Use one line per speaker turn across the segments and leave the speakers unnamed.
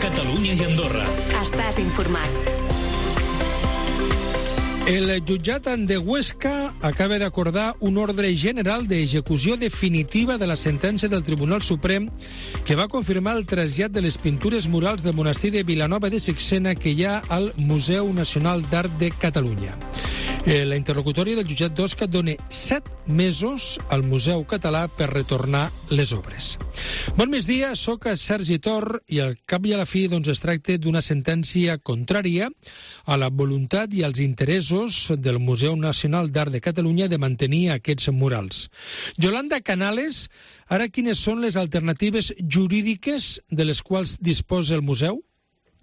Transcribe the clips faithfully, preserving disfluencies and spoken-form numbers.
Catalunya i Andorra.
Estàs informat.
El jutjat de Huesca acaba d'acordar un ordre general d'execució definitiva de la sentència del Tribunal Suprem que va confirmar el trasllat de les pintures murals del monestir de Vilanova de Sixena que hi ha al Museu Nacional d'Art de Catalunya. La interlocutòria del jutjat d'Osca dona set mesos al Museu Català per retornar les obres. Bon migdia, soc Sergi Tor i al cap i a la fi doncs, es tracta d'una sentència contrària a la voluntat i als interessos del Museu Nacional d'Art de Catalunya de mantenir aquests murals. Yolanda Canales, ara quines són les alternatives jurídiques de les quals disposa el museu?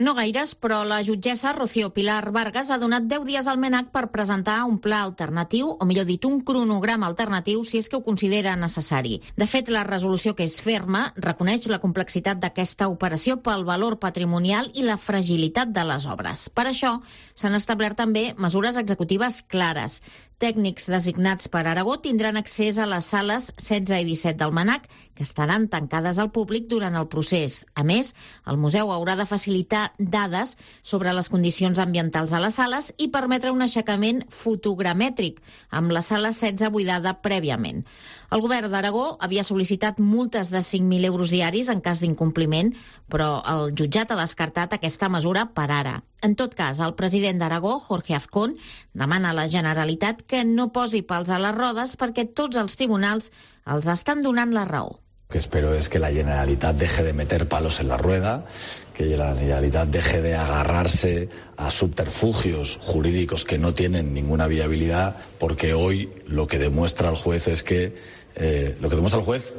No gaires, però la jutgessa Rocío Pilar Vargas ha donat deu dies al MENAC per presentar un pla alternatiu, o millor dit, un cronograma alternatiu, si és que ho considera necessari. De fet, la resolució, que és ferma, reconeix la complexitat d'aquesta operació pel valor patrimonial i la fragilitat de les obres. Per això, s'han establert també mesures executives clares. Tècnics designats per Aragó tindran accés a les sales setze i disset del MENAC, que estaran tancades al públic durant el procés. A més, el museu haurà de facilitar dades sobre les condicions ambientals a les sales i permetre un aixecament fotogramètric, amb la sala setze buidada prèviament. El govern d'Aragó havia sol·licitat multes de cinc mil euros diaris en cas d'incompliment, però el jutjat ha descartat aquesta mesura per ara. En tot cas, el president d'Aragó, Jorge Azcón, demana a la Generalitat que no posi pals a les rodes perquè tots els tribunals els estan donant la raó.
Lo que espero es que la Generalitat deje de meter palos en la rueda, que la Generalitat deje de agarrarse a subterfugios jurídicos que no tienen ninguna viabilidad, porque hoy lo que demuestra el juez es que, eh, lo que demuestra el juez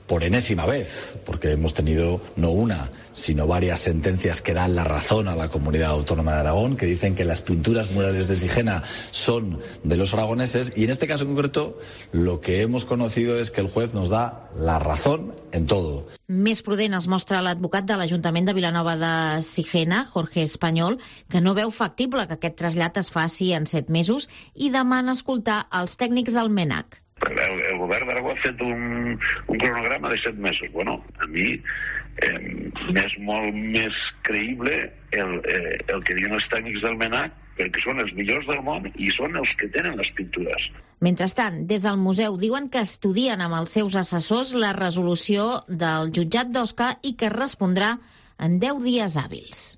por enésima vez, porque hemos tenido no una, sino varias sentencias que dan la razón a la Comunidad Autónoma de Aragón, que dicen que las pinturas murales de Sigena son de los aragoneses, y en este caso en concreto lo que hemos conocido es que el juez nos da la razón en todo.
Més prudent es mostra l'advocat de l'Ajuntament de Vilanova de Sigena, Jorge Espanyol, que no veu factible que aquest trasllat es faci en set mesos i demana escoltar els tècnics del MENAC.
El, el govern d'Aragó ha fet un, un cronograma de set mesos. Bueno, a mi eh, m'és molt més creïble el, eh, el que diuen els tècnics del MENAC, perquè són els millors del món i són els que tenen les pintures.
Mentrestant, des del museu diuen que estudien amb els seus assessors la resolució del jutjat d'Osca i que respondrà en deu dies hàbils.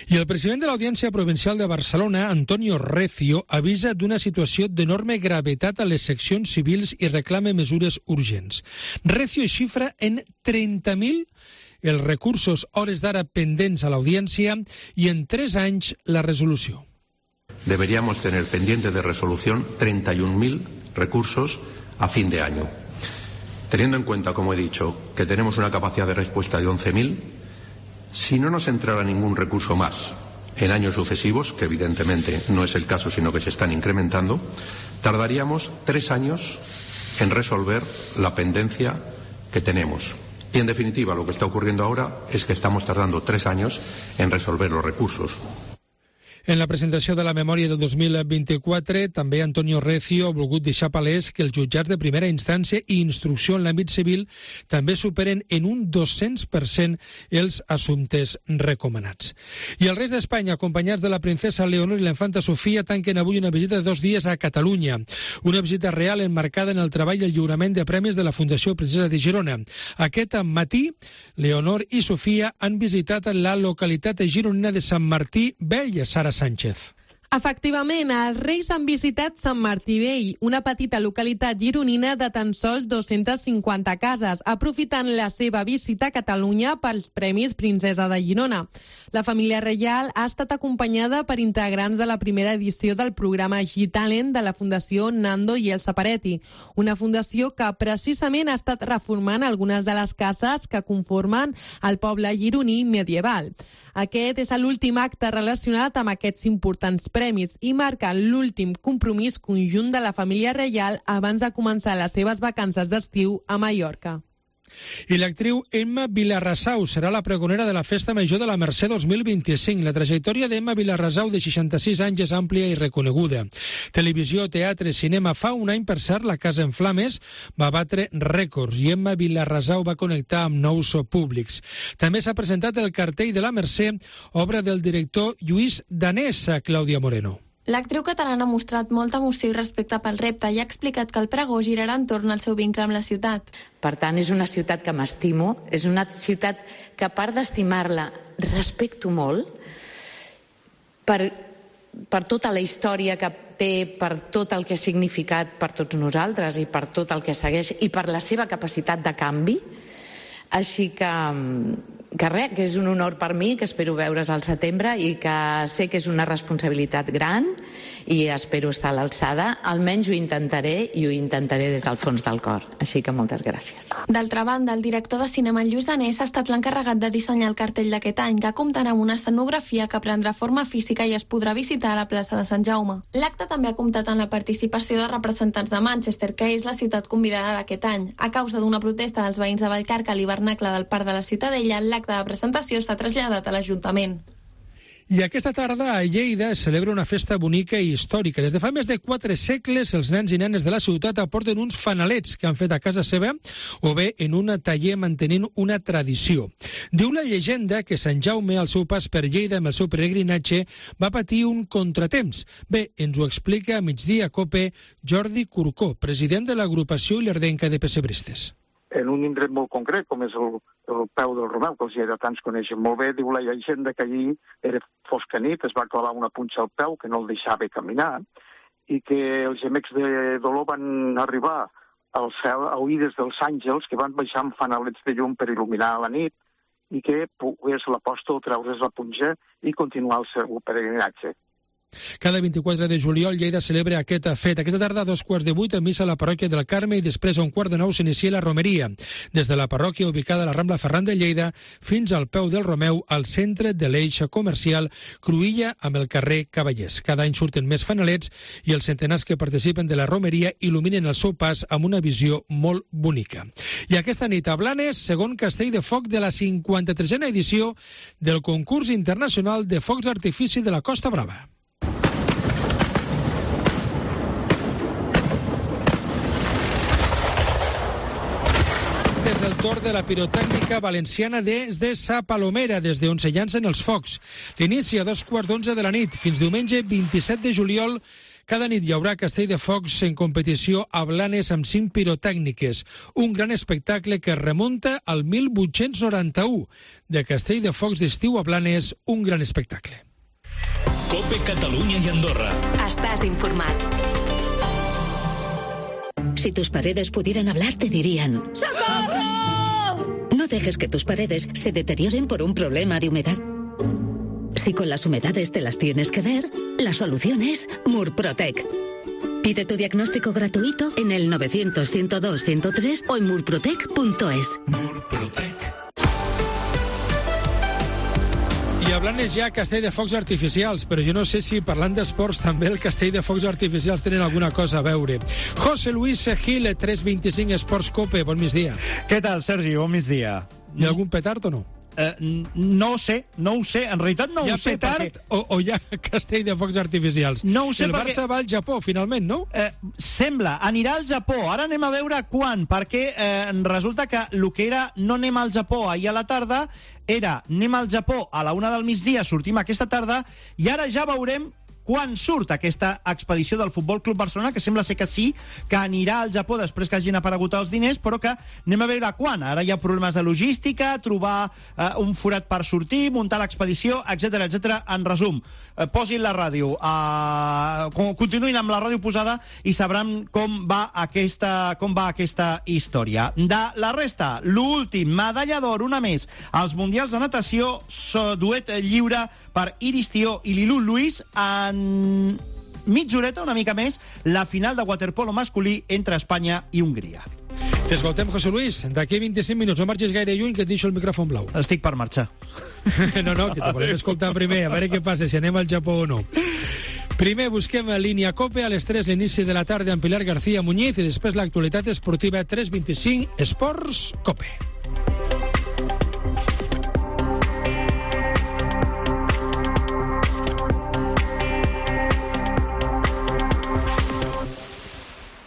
I el president de l'Audiència Provincial de Barcelona, Antonio Recio, avisa d'una situació d'enorme gravetat a les seccions civils i reclama mesures urgents. Recio xifra en trenta mil els recursos hores d'ara pendents a l'Audiència i en tres anys la resolució.
Deberíamos tener pendiente de resolución treinta y un mil recursos a fin de año. Teniendo en cuenta, como he dicho, que tenemos una capacidad de respuesta de once mil, si no nos entrara ningún recurso más en años sucesivos, que evidentemente no es el caso, sino que se están incrementando, tardaríamos tres años en resolver la pendencia que tenemos. Y en definitiva, lo que está ocurriendo ahora es que estamos tardando tres años en resolver los recursos.
En la presentació de la memòria del dos mil vint-i-quatre, també Antonio Recio ha volgut deixar palès que els jutjats de primera instància i instrucció en l'àmbit civil també superen en un dos-cents per cent els assumptes recomanats. I el rei d'Espanya, acompanyats de la princesa Leonor i la infanta Sofia, tanquen avui una visita de dos dies a Catalunya. Una visita real enmarcada en el treball i el lliurament de premis de la Fundació Princesa de Girona. Aquest matí, Leonor i Sofia han visitat la localitat gironina de Sant Martí Vell, Sara Sánchez.
Efectivament, els Reis han visitat Sant Martí Vell, una petita localitat gironina de tan sols dos-centes cinquanta cases, aprofitant la seva visita a Catalunya pels Premis Princesa de Girona. La família reial ha estat acompanyada per integrants de la primera edició del programa G-Talent de la Fundació Nando i Elsa Peretti, una fundació que precisament ha estat reformant algunes de les cases que conformen el poble gironí medieval. Aquest és l'últim acte relacionat amb aquests importants premis i marca l'últim compromís conjunt de la família reial abans de començar les seves vacances d'estiu a Mallorca.
I l'actriu Emma Vilarrasau serà la pregonera de la Festa Major de la Mercè dos mil vint-i-cinc. La trajectòria d'Emma Vilarrasau, de seixanta-sis anys, és àmplia i reconeguda. Televisió, teatre, cinema. Fa un any, per cert, La Casa en Flames va batre rècords i Emma Vilarrasau va connectar amb nous públics. També s'ha presentat el cartell de la Mercè, obra del director Lluís Danés, a Clàudia Moreno.
L'actriu catalana ha mostrat molta emoció i respecte pel repte i ha explicat que el pregó girarà entorn al seu vincle amb la ciutat.
Per tant, és una ciutat que m'estimo, és una ciutat que, a part d'estimar-la, respecto molt per, per tota la història que té, per tot el que ha significat per tots nosaltres i per tot el que segueix i per la seva capacitat de canvi. Així que, que res, que és un honor per mi, que espero veure's al setembre i que sé que és una responsabilitat gran i espero estar a l'alçada. Almenys ho intentaré i ho intentaré des del fons del cor. Així que moltes gràcies.
D'altra banda, el director de cinema Lluís Danés ha estat l'encarregat de dissenyar el cartell d'aquest any, que comptarà amb una escenografia que prendrà forma física i es podrà visitar a la plaça de Sant Jaume. L'acte també ha comptat amb la participació de representants de Manchester, que és la ciutat convidada d'aquest any. A causa d'una protesta dels veïns de Vallcarca a l'hivernacle del Parc de la Ciutadella, l'acte de presentació s'ha traslladat a l'Ajuntament.
I aquesta tarda a Lleida es celebra una festa bonica i històrica. Des de fa més de quatre segles, els nens i nenes de la ciutat aporten uns fanalets que han fet a casa seva o bé en un taller mantenint una tradició. Diu la llegenda que Sant Jaume, al seu pas per Lleida amb el seu peregrinatge, va patir un contratemps. Bé, ens ho explica a Migdia Cope Jordi Curcó, president de l'agrupació ilerdenca de pessebristes.
En un indret molt concret, com és el, el peu del Romeu, que els lleidatans coneixen molt bé, diu la llegenda que allí era fosca nit, es va clavar una punxa al peu que no el deixava caminar, i que els gemecs de dolor van arribar al cel a oïdes dels àngels que van baixar amb fanalets de llum per il·luminar la nit i que pogués l'apòstol treure's la punxa i continuar el seu peregrinatge.
Cada vint-i-quatre de juliol Lleida celebra aquest fet. Aquesta tarda a dos quarts de vuit a missa a la parròquia del Carme i després a un quart de nou s'inicia la romeria. Des de la parròquia ubicada a la Rambla Ferran de Lleida fins al peu del Romeu al centre de l'eix comercial Cruïlla amb el carrer Cavallers. Cada any surten més fanalets i els centenars que participen de la romeria il·luminen el seu pas amb una visió molt bonica. I aquesta nit a Blanes, segon castell de foc de la cinquanta-tresena edició del concurs internacional de focs d'artifici de la Costa Brava. És el torn de la pirotècnica valenciana des de Sa Palomera, des d'on se llancen els focs. L'inici a dos quarts d'onze de la nit. Fins diumenge vint-i-set de juliol, cada nit hi haurà castell de focs en competició a Blanes amb cinc pirotècniques. Un gran espectacle que remunta al mil vuit-cents noranta-u. De castell de focs d'estiu a Blanes, un gran espectacle.
Cope Catalunya y Andorra.
Estás informat. Si tus paredes pudieran hablar, te dirían: ¡Socorro! No dejes que tus paredes se deterioren por un problema de humedad. Si con las humedades te las tienes que ver, la solución es Murprotec. Pide tu diagnóstico gratuito en el novecientos, ciento dos, ciento tres o en murprotec punto es.
Murprotec.
I a Blanes hi ha castell de focs artificials, però jo no sé si parlant d'esports també el castell de focs artificials tenen alguna cosa a veure. José Luis Gil, tres vint-i-cinc Esports Cope, bon migdia.
Què tal, Sergi? Bon migdia.
Hi ha algun petard o no?
Uh, no ho sé, no ho sé, en realitat no
hi
ho sé.
Hi ha petard perquè... o, o hi ha castell de focs artificials?
No ho sé
el
perquè...
Barça va al Japó, finalment, no?
Uh, sembla, anirà al Japó. Ara anem a veure quan, perquè uh, resulta que el que era no anem al Japó ahir a la tarda era anem al Japó a la una del migdia, sortim aquesta tarda, i ara ja veurem quan surt aquesta expedició del Futbol Club Barcelona, que sembla ser que sí, que anirà al Japó després que hagin aparegut els diners, però que anem a veure quan. Ara hi ha problemes de logística, trobar eh, un forat per sortir, muntar l'expedició, etcètera, etcètera. En resum, eh, posin la ràdio, eh, continuïn amb la ràdio posada i sabran com va aquesta, com va aquesta història. De la resta, l'últim, medalla d'or, una més, als Mundials de Natació, duet lliure per Iris Tió i Lilu Luis, en mitja horeta, una mica més, la final de waterpolo masculí entre Espanya i Hongria.
T'escoltem, José Luis. D'aquí vint-i-cinc minuts, no marxis gaire lluny, que et deixo el micròfon blau.
Estic per marxar.
No, no, que te volem escoltar primer, a veure què passa, si anem al Japó o no. Primer busquem a línia Cope, a les tres l'inici de la tarda amb Pilar García Muñiz i després l'actualitat esportiva tres vint-i-cinc Esports Cope.